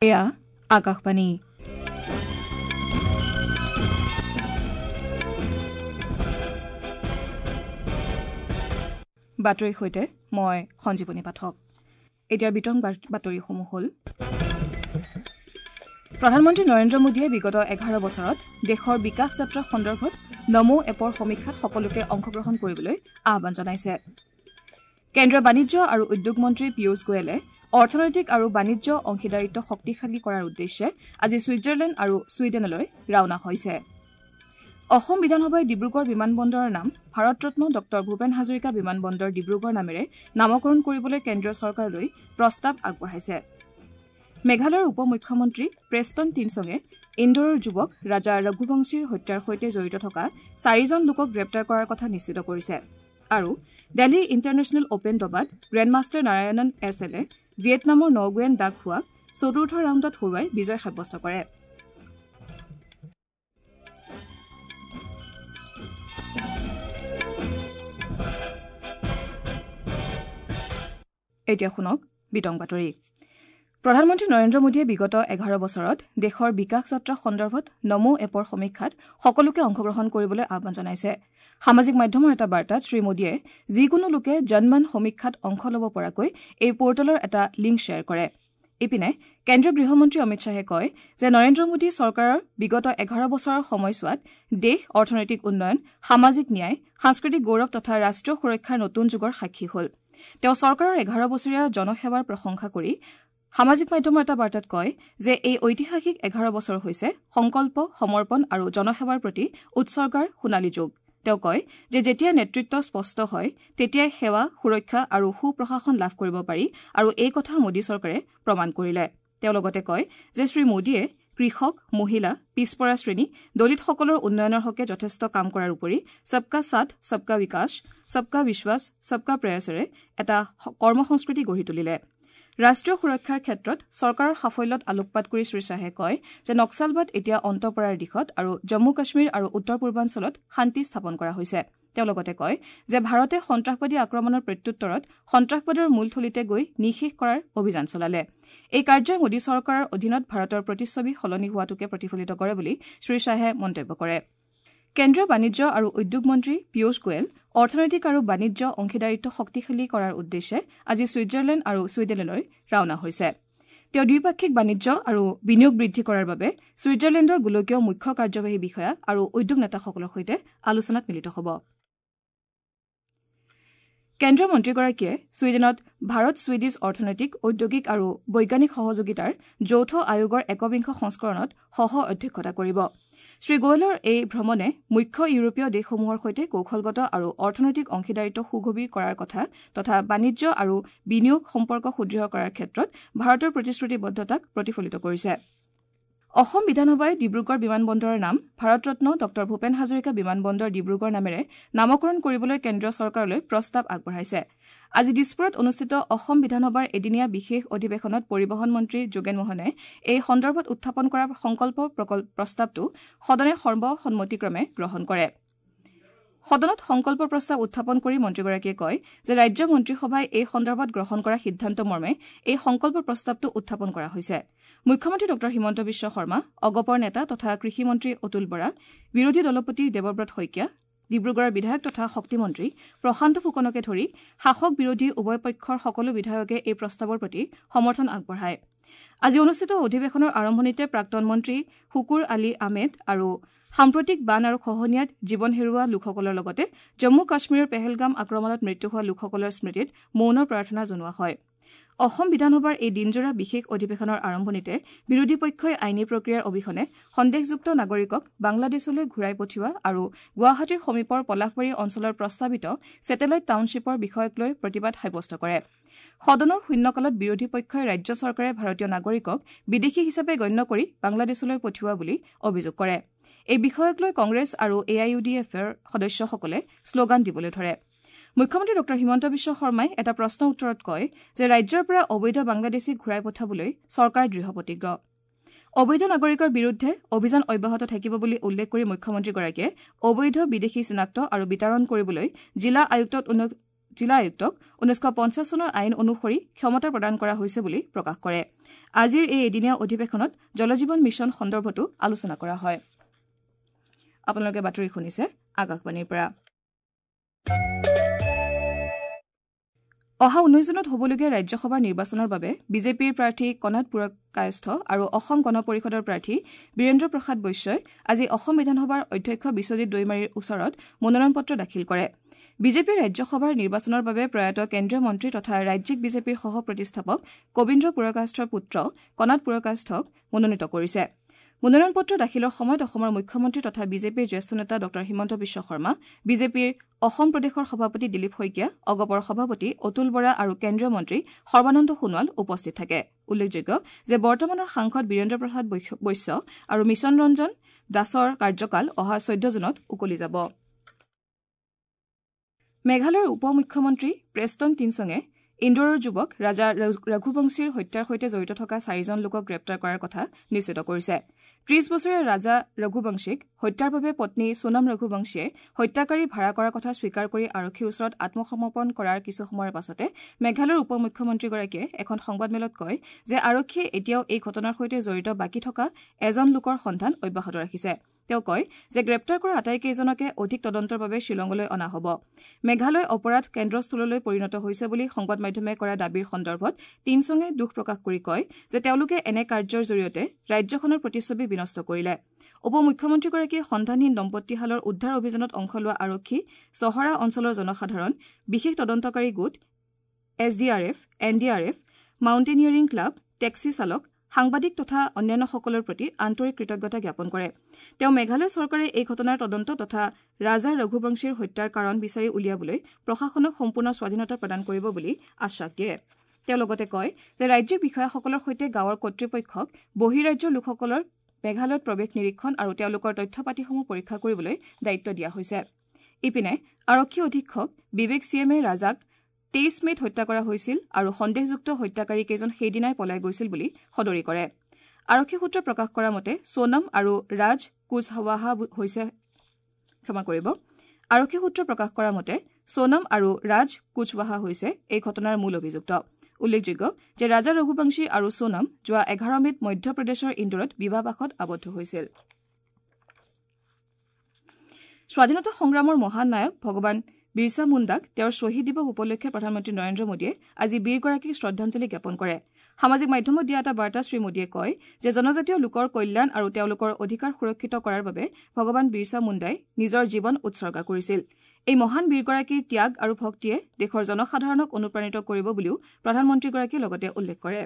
এয়া আকাশবাণী। বাতৰিৰ সৈতে মই সঞ্জীৱনী পাঠক। এতিয়া বিতং বাতৰিসমূহ হ'ল, প্ৰধানমন্ত্ৰী নৰেন্দ্ৰ মোদীয়ে বিগত 11 বছৰত দেশৰ বিকাশ যাত্ৰা সন্দৰ্ভত নমো এপৰ সমীক্ষাত সকলোকে অংশগ্ৰহণ কৰিবলৈ আহ্বান জনাইছে। কেন্দ্ৰীয় বাণিজ্য আৰু উদ্যোগ মন্ত্ৰী পীয়ুষ গোৱেলে অৰ্থনৈতিক আৰু বাণিজ্য অংশীদাৰিত্ব শক্তিশালী কৰাৰ উদ্দেশ্যে আজি ছুইজাৰলেণ্ড আৰু ছুইডেনলৈ ৰাওনা হৈছে। অসম বিধানসভাই ডিব্ৰুগড় বিমানবন্দৰৰ নাম ভাৰতৰত্ন ডঃ ভূপেন হাজৰিকা বিমানবন্দৰ ডিব্ৰুগড় নামেৰে নামকৰণ কৰিবলৈ কেন্দ্ৰীয় চৰকাৰলৈ প্ৰস্তাৱ আগবঢ়াইছে। মেঘালয়ৰ উপ মুখ্যমন্ত্ৰী প্ৰেষ্টন টিনচঙে ইন্দোৰৰ যুৱক ৰাজা ৰঘুবংশীৰ হত্যাৰ সৈতে জড়িত থকা 4জন লোকক গ্ৰেপ্তাৰ কৰাৰ কথা নিশ্চিত কৰিছে। আৰু দিল্লী ইণ্টাৰনেশ্যনেল অপেন দবাত গ্ৰেণ্ডমাষ্টাৰ নাৰায়ণন এছ এলে ভিয়েটনামৰ নগুৱেন ডাক হুৱাক চতুৰ্থ ৰাউণ্ডত হৰুৱাই বিজয় সাব্যস্ত কৰে। এতিয়া শুনক বিতং বাতৰি। প্ৰধানমন্ত্ৰী নৰেন্দ্ৰ মোদীয়ে বিগত 11 বছৰত দেশৰ বিকাশ যাত্ৰা সন্দৰ্ভত নমো এপৰ সমীক্ষাত সকলোকে অংশগ্ৰহণ কৰিবলৈ আহ্বান জনাইছে। সামাজিক মাধ্যমৰ এটা বাৰ্তাত শ্ৰীমোদীয়ে যিকোনো লোকে জনমন সমীক্ষাত অংশ ল'ব পৰাকৈ এই পৰ্টেলৰ এটা লিংক শ্বেয়াৰ কৰে। ইপিনে কেন্দ্ৰীয় গৃহমন্ত্ৰী অমিত শ্বাহে কয় যে নৰেন্দ্ৰ মোদী চৰকাৰৰ বিগত 11 বছৰৰ সময়ছোৱাত দেশ অৰ্থনৈতিক উন্নয়ন, সামাজিক ন্যায়, সাংস্কৃতিক গৌৰৱ তথা ৰাষ্ট্ৰীয় সুৰক্ষাৰ নতুন যুগৰ সাক্ষী হ'ল। তেওঁ চৰকাৰৰ 11 বছৰীয়া জনসেৱাৰ প্ৰশংসা কৰি সামাজিক মাধ্যমৰ এটা বাৰ্তাত কয় যে এই ঐতিহাসিক 11 বছৰ হৈছে সংকল্প, সমৰ্পণ আৰু জনসেৱাৰ প্ৰতি উৎসৰ্গাৰ সোণালী যুগ। তেওঁ কয় যে যেতিয়া নেতৃত্ব স্পষ্ট হয় তেতিয়াই সেৱা, সুৰক্ষা আৰু সুপ্ৰশাসন লাভ কৰিব পাৰি আৰু এই কথা মোদী চৰকাৰে প্ৰমাণ কৰিলে। তেওঁ লগতে কয় যে শ্ৰীমোদীয়ে কৃষক, মহিলা, পিছপৰা শ্ৰেণী, দলিতসকলৰ উন্নয়নৰ হকে যথেষ্ট কাম কৰাৰ উপৰি সবকা সাথ, সবকা বিকাশ, সবকা বিশ্বাস, সবকা প্ৰয়াসেৰে এটা কৰ্মসংস্কৃতি গঢ়ি তুলিলে। ৰাষ্ট্ৰীয় সুৰক্ষাৰ ক্ষেত্ৰত চৰকাৰৰ সাফল্যত আলোকপাত কৰি শ্ৰীশ্বাহে কয় যে নক্সালবাদ এতিয়া অন্ত পৰাৰ দিশত আৰু জম্মু কাশ্মীৰ আৰু উত্তৰ পূৰ্বাঞ্চলত শান্তি স্থাপন কৰা হৈছে। তেওঁ লগতে কয় যে ভাৰতে সন্ত্ৰাসবাদী আক্ৰমণৰ প্ৰত্যুত্তৰত সন্ত্ৰাসবাদৰ মূলথলীতে গৈ নিঃশেষ কৰাৰ অভিযান চলালে। এই কাৰ্যই মোদী চৰকাৰৰ অধীনত ভাৰতৰ প্ৰতিচ্ছবি সলনি হোৱাটোকে প্ৰতিফলিত কৰে বুলি শ্ৰীশ্বাহে মন্তব্য কৰে। কেন্দ্ৰীয় বাণিজ্য আৰু উদ্যোগ মন্ত্ৰী পীয়ুষ গোৱেল অৰ্থনৈতিক আৰু বাণিজ্য অংশীদাৰিত্ব শক্তিশালী কৰাৰ উদ্দেশ্যে আজি ছুইজাৰলেণ্ড আৰু ছুইডেনলৈ ৰাওনা হৈছে। তেওঁ দ্বিপাক্ষিক বাণিজ্য আৰু বিনিয়োগ বৃদ্ধি কৰাৰ বাবে ছুইজাৰলেণ্ডৰ গোলকীয় মুখ্য কাৰ্যবাহী বিষয়া আৰু উদ্যোগ নেতাসকলৰ সৈতে আলোচনাত মিলিত হ'ব। কেন্দ্ৰীয় মন্ত্ৰীগৰাকীয়ে ছুইডেনত ভাৰত ছুইডিছ অৰ্থনৈতিক, ঔদ্যোগিক আৰু বৈজ্ঞানিক সহযোগিতাৰ যৌথ আয়োগৰ একবিংশ সংস্কৰণত সহ অধ্যক্ষতা কৰিব। শ্ৰীগোৱেলৰ এই ভ্ৰমণে মুখ্য ইউৰোপীয় দেশসমূহৰ সৈতে কৌশলগত আৰু অৰ্থনৈতিক অংশীদাৰিত্ব সুগভীৰ কৰাৰ কথা তথা বাণিজ্য আৰু বিনিয়োগ সম্পৰ্ক সুদৃঢ় কৰাৰ ক্ষেত্ৰত ভাৰতৰ প্ৰতিশ্ৰুতিবদ্ধতাক প্ৰতিফলিত কৰিছে। অসম বিধানসভাই ডিব্ৰুগড় বিমানবন্দৰৰ নাম ভাৰতৰত্ন ডঃ ভূপেন হাজৰিকা বিমানবন্দৰ ডিব্ৰুগড় নামেৰে নামকৰণ কৰিবলৈ কেন্দ্ৰীয় চৰকাৰলৈ প্ৰস্তাৱ আগবঢ়াইছে। আজি দিছপুৰত অনুষ্ঠিত অসম বিধানসভাৰ এদিনীয়া বিশেষ অধিৱেশনত পৰিবহণ মন্ত্ৰী যোগেন মোহনে এই সন্দৰ্ভত উত্থাপন কৰা সংকল্প প্ৰস্তাৱটো সদনে সৰ্বসন্মতিক্ৰমে গ্ৰহণ কৰে। সদনত সংকল্প প্ৰস্তাৱ উত্থাপন কৰি মন্ত্ৰীগৰাকীয়ে কয় যে ৰাজ্য মন্ত্ৰীসভাই এই সন্দৰ্ভত গ্ৰহণ কৰা সিদ্ধান্ত মৰ্মে এই সংকল্প প্ৰস্তাৱটো উত্থাপন কৰা হৈছে। মুখ্যমন্ত্ৰী ডঃ হিমন্ত বিশ্ব শৰ্মা, অগপৰ নেতা তথা কৃষিমন্ত্ৰী অতুল বৰা, বিৰোধী দলপতি দেৱব্ৰত শইকীয়া, ডিব্ৰুগড়ৰ বিধায়ক তথা শক্তিমন্ত্ৰী প্ৰশান্ত ফুকনকে ধৰি শাসক বিৰোধী উভয় পক্ষৰ সকলো বিধায়কে এই প্ৰস্তাৱৰ প্ৰতি সমৰ্থন আগবঢ়ায়। আজি অনুষ্ঠিত অধিৱেশনৰ আৰম্ভণিতে প্ৰাক্তন মন্ত্ৰী শুকুৰ আলী আহমেদ আৰু সাম্প্ৰতিক বান আৰু খহনীয়াত জীৱন হেৰুওৱা লোকসকলৰ লগতে জম্মু কাশ্মীৰৰ পেহেলগাম আক্ৰমণত মৃত্যু হোৱা লোকসকলৰ স্মৃতিত মৌন প্ৰাৰ্থনা জনোৱা হয়। অসম বিধানসভাৰ এই দিনজোৰা বিশেষ অধিৱেশনৰ আৰম্ভণিতে বিৰোধী পক্ষই আইনী প্ৰক্ৰিয়াৰ অবিহনে সন্দেহযুক্ত নাগৰিকক বাংলাদেশলৈ ঘূৰাই পঠিওৱা আৰু গুৱাহাটীৰ সমীপৰ পলাশবাৰী অঞ্চলৰ প্ৰস্তাৱিত ছেটেলাইট টাউনশ্বিপৰ বিষয়ক লৈ প্ৰতিবাদ সাব্যস্ত কৰে। সদনৰ শূন্যকালত বিৰোধী পক্ষই ৰাজ্য চৰকাৰে ভাৰতীয় নাগৰিকক বিদেশী হিচাপে গণ্য কৰি বাংলাদেশলৈ পঠিওৱা বুলি অভিযোগ কৰে। এই বিষয়ক লৈ কংগ্ৰেছ আৰু এ I U D এফৰ সদস্যসকলে শ্লোগান দিবলৈ ধৰে। মুখ্যমন্ত্ৰী ডঃ হিমন্ত বিশ্ব শৰ্মাই এটা প্ৰশ্নৰ উত্তৰত কয় যে ৰাজ্যৰ পৰা অবৈধ বাংলাদেশীক ঘূৰাই পঠাবলৈ চৰকাৰ দৃঢ়প্ৰতিজ্ঞ। অবৈধ নাগৰিকৰ বিৰুদ্ধে অভিযান অব্যাহত থাকিব বুলি উল্লেখ কৰি মুখ্যমন্ত্ৰীগৰাকীয়ে অবৈধ বিদেশী চিনাক্ত আৰু বিতৰণ কৰিবলৈ জিলা আয়ুক্তক জিলা আয়ুক্তক 1950 চনৰ আইন অনুসৰি ক্ষমতা প্ৰদান কৰা হৈছে বুলি প্ৰকাশ কৰে। আজিৰ এই এদিনীয়া অধিৱেশনত জলজীৱন মিছন সন্দৰ্ভতো আলোচনা কৰা হয়। আপোনালোকে বাতৰি শুনিছে আকাশবাণীৰ পৰা। অহা 19 জুনত হ'বলগীয়া ৰাজ্যসভাৰ নিৰ্বাচনৰ বাবে বিজেপিৰ প্ৰাৰ্থী কণাদ পুৰকায়স্থ আৰু অসম গণ পৰিষদৰ প্ৰাৰ্থী বীৰেন্দ্ৰ প্ৰসাদ বৈশ্যই আজি অসম বিধানসভাৰ অধ্যক্ষ বিশ্বজিৎ দৈমাৰীৰ ওচৰত মনোনয়ন পত্ৰ দাখিল কৰে। বিজেপিৰ ৰাজ্যসভাৰ নিৰ্বাচনৰ বাবে প্ৰয়াত কেন্দ্ৰীয় মন্ত্ৰী তথা ৰাজ্যিক বিজেপিৰ সহ প্ৰতিষ্ঠাপক কবীন্দ্ৰ পুৰকায়স্থৰ পুত্ৰ কণাদ পুৰকায়স্থক মনোনীত কৰিছে। মনোনয়ন পত্ৰ দাখিলৰ সময়ত অসমৰ মুখ্যমন্ত্ৰী তথা বিজেপিৰ জ্যেষ্ঠ নেতা ডঃ হিমন্ত বিশ্ব শৰ্মা, বিজেপিৰ অসম প্ৰদেশৰ সভাপতি দিলীপ শইকীয়া, অগপৰ সভাপতি অতুল বৰা আৰু কেন্দ্ৰীয় মন্ত্ৰী সৰ্বানন্দ সোণোৱাল উপস্থিত থাকে। উল্লেখযোগ্য যে বৰ্তমানৰ সাংসদ বীৰেন্দ্ৰ প্ৰসাদ বৈশ্য আৰু মিছন ৰঞ্জন দাসৰ কাৰ্যকাল অহা 14 জুনত উকলি যাব। মেঘালয়ৰ উপ মুখ্যমন্ত্ৰী প্ৰেষ্টন টিনচঙে ইন্দোৰৰ যুৱক ৰাজা ৰঘুবংশীৰ হত্যাৰ সৈতে জড়িত থকা 4জন লোকক গ্ৰেপ্তাৰ কৰাৰ কথা নিশ্চিত কৰিছে। 30 বছৰীয়া ৰাজা ৰঘুবংশীক হত্যাৰ বাবে পত্নী সোণম ৰঘুবংশীয়ে হত্যাকাৰী ভাড়া কৰাৰ কথা স্বীকাৰ কৰি আৰক্ষীৰ ওচৰত আত্মসমৰ্পণ কৰাৰ কিছু সময়ৰ পাছতে মেঘালয়ৰ উপ মুখ্যমন্ত্ৰীগৰাকীয়ে এখন সংবাদমেলত কয় যে আৰক্ষীয়ে এতিয়াও এই ঘটনাৰ সৈতে জড়িত বাকী থকা এজন লোকৰ সন্ধান অব্যাহত ৰাখিছে। তেওঁ কয় যে গ্ৰেপ্তাৰ কৰা আটাইকেইজনকে অধিক তদন্তৰ বাবে শ্বিলঙলৈ অনা হ'ব। মেঘালয় অপৰাধ কেন্দ্ৰস্থললৈ পৰিণত হৈছে বুলি সংবাদ মাধ্যমে কৰা দাবীৰ সন্দৰ্ভত টিনচঙে দুখ প্ৰকাশ কৰি কয় যে তেওঁলোকে এনে কাৰ্যৰ জৰিয়তে ৰাজ্যখনৰ প্ৰতিচ্ছবি বিনষ্ট কৰিলে। উপ মুখ্যমন্ত্ৰীগৰাকীয়ে সন্ধানহীন দম্পতীহালৰ উদ্ধাৰ অভিযানত অংশ লোৱা আৰক্ষী, চহৰা অঞ্চলৰ জনসাধাৰণ, বিশেষ তদন্তকাৰী গোট, S D R F, N D R F, mountaineering club, taxi চালক, সাংবাদিক তথা অন্যান্যসকলৰ প্ৰতি আন্তৰিক কৃতজ্ঞতা জ্ঞাপন কৰে। তেওঁ মেঘালয় চৰকাৰে এই ঘটনাৰ তদন্ত তথা ৰাজা ৰঘুবংশীৰ হত্যাৰ কাৰণ বিচাৰি উলিয়াবলৈ প্ৰশাসনক সম্পূৰ্ণ স্বাধীনতা প্ৰদান কৰিব বুলি আশ্বাস দিয়ে। তেওঁ লগতে কয় যে ৰাজ্যিক বিষয়াসকলৰ সৈতে গাঁৱৰ কৰ্তৃপক্ষক বহিৰাজ্যৰ লোকসকলৰ মেঘালয়ত প্ৰৱেশ নিৰীক্ষণ আৰু তেওঁলোকৰ তথ্য পাতিসমূহ পৰীক্ষা কৰিবলৈ দায়িত্ব দিয়া হৈছে। ইপিনে আৰক্ষী অধীক্ষক বিবেক চিএমে ৰাজাক 23 মে'ত হত্যা কৰা হৈছিল আৰু সন্দেহযুক্ত হত্যাকাৰীকেইজন সেইদিনাই পলাই গৈছিল বুলি সদৰি কৰে। আৰক্ষী সূত্ৰই প্ৰকাশ কৰা মতে সোণম আৰু ৰাজ কুচৱাহা হৈছে ক্ষমা কৰিব। আৰক্ষী সূত্ৰই প্ৰকাশ কৰা মতে সোণম আৰু ৰাজ কুচৱাহা হৈছে এই ঘটনাৰ মূল অভিযুক্ত। উল্লেখযোগ্য যে ৰাজা ৰঘুবংশী আৰু সোণম যোৱা 11 মে'ত মধ্যপ্ৰদেশৰ ইন্দোৰত বিবাহপাশত আবদ্ধ হৈছিল। স্বাধীনতা সংগ্ৰামৰ মহান নায়ক ভগৱান বিৰছা মুণ্ডাক তেওঁৰ শ্বহীদ দিৱস উপলক্ষে প্ৰধানমন্ত্ৰী নৰেন্দ্ৰ মোদীয়ে আজি বীৰগৰাকীক শ্ৰদ্ধাঞ্জলি জ্ঞাপন কৰে। সামাজিক মাধ্যমত দিয়া এটা বাৰ্তাত শ্ৰীমোদীয়ে কয় যে জনজাতীয় লোকৰ কল্যাণ আৰু তেওঁলোকৰ অধিকাৰ সুৰক্ষিত কৰাৰ বাবে ভগৱান বিৰছা মুণ্ডাই নিজৰ জীৱন উৎসৰ্গা কৰিছিল। এই মহান বীৰগৰাকীৰ ত্যাগ আৰু ভক্তিয়ে দেশৰ জনসাধাৰণক অনুপ্ৰাণিত কৰিব বুলিও প্ৰধানমন্ত্ৰীগৰাকীয়ে লগতে উল্লেখ কৰে।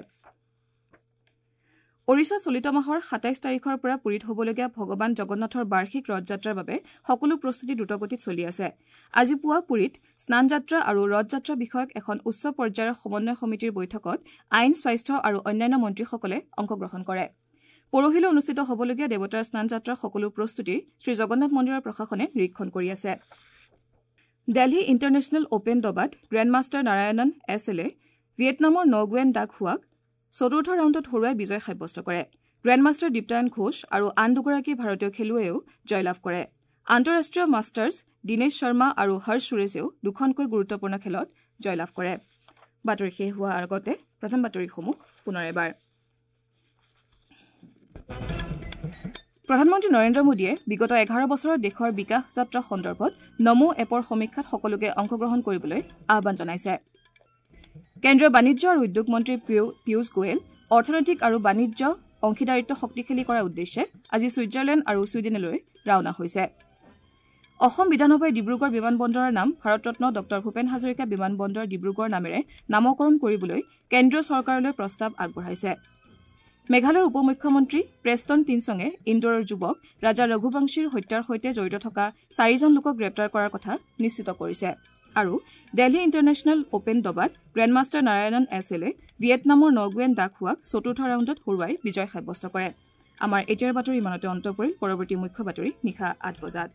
ওড়িশা চলিত মাহৰ 27 তাৰিখৰ পৰা পুৰীত হ'বলগীয়া ভগৱান জগন্নাথৰ বাৰ্ষিক ৰথযাত্ৰাৰ বাবে সকলো প্ৰস্তুতি দ্ৰুতগতিত চলি আছে। আজি পুৱা পুৰীত স্নানযাত্ৰা আৰু ৰথযাত্ৰা বিষয়ক এখন উচ্চ পৰ্যায়ৰ সমন্বয় সমিতিৰ বৈঠকত আইন, স্বাস্থ্য আৰু অন্যান্য মন্ত্ৰীসকলে অংশগ্ৰহণ কৰে। পৰহিলৈ অনুষ্ঠিত হ'বলগীয়া দেৱতাৰ স্নানযাত্ৰাৰ সকলো প্ৰস্তুতিৰ শ্ৰীজগন্নাথ মন্দিৰৰ প্ৰশাসনে নিৰীক্ষণ কৰি আছে। দেলহি ইণ্টাৰনেশ্যনেল অপেন দবাত গ্ৰেণ্ডমাষ্টাৰ নাৰায়ণন এছ এলে ভিয়েটনামৰ নগুৱেন ডাক হুৱাক চতুৰ্থ ৰাউণ্ডত হৰুৱাই বিজয় সাব্যস্ত কৰে। গ্ৰেণ্ডমাষ্টাৰ দীপ্তায়ন ঘোষ আৰু আন দুগৰাকী ভাৰতীয় খেলুৱৈয়েও জয়লাভ কৰে। আন্তঃৰাষ্ট্ৰীয় মাষ্টাৰ্ছ দীনেশ শৰ্মা আৰু হৰ্ষ সুৰেশেও দুখনকৈ গুৰুত্বপূৰ্ণ খেলত জয়লাভ কৰে। বাতৰি শেষ হোৱাৰ আগতে প্ৰথম বাতৰিসমূহ পুনৰ এবাৰ। প্ৰধানমন্ত্ৰী নৰেন্দ্ৰ মোদীয়ে বিগত 11 বছৰত দেশৰ বিকাশ যাত্ৰা সন্দৰ্ভত নমো এপৰ সমীক্ষাত সকলোকে অংশগ্ৰহণ কৰিবলৈ আহ্বান জনাইছে। কেন্দ্ৰীয় বাণিজ্য আৰু উদ্যোগ মন্ত্ৰী পীয়ুষ গোৱেল অৰ্থনৈতিক আৰু বাণিজ্য অংশীদাৰিত্ব শক্তিশালী কৰাৰ উদ্দেশ্যে আজি ছুইজাৰলেণ্ড আৰু ছুইডেনলৈ ৰাওনা হৈছে। অসম বিধানসভাই ডিব্ৰুগড় বিমানবন্দৰৰ নাম ভাৰতৰত্ন ডঃ ভূপেন হাজৰিকা বিমানবন্দৰ ডিব্ৰুগড় নামেৰে নামকৰণ কৰিবলৈ কেন্দ্ৰীয় চৰকাৰলৈ প্ৰস্তাৱ আগবঢ়াইছে। মেঘালয়ৰ উপ মুখ্যমন্ত্ৰী প্ৰেষ্টন টিনচঙে ইন্দোৰৰ যুৱক ৰাজা ৰঘুবংশীৰ হত্যাৰ সৈতে জড়িত থকা 4জন লোকক গ্ৰেপ্তাৰ কৰাৰ কথা নিশ্চিত কৰিছে। আৰু দেলহি ইণ্টাৰনেশ্যনেল অপেন দবাত গ্ৰেণ্ডমাষ্টাৰ নাৰায়ণন এছ এলে ভিয়েটনামৰ নগুৱেন ডাক হুৱাক চতুৰ্থ ৰাউণ্ডত হৰুৱাই বিজয় সাব্যস্ত কৰে। আমাৰ এতিয়াৰ বাতৰি ইমানতে অন্ত পৰিল। পৰৱৰ্তী মুখ্য বাতৰি নিশা 8 বজাত।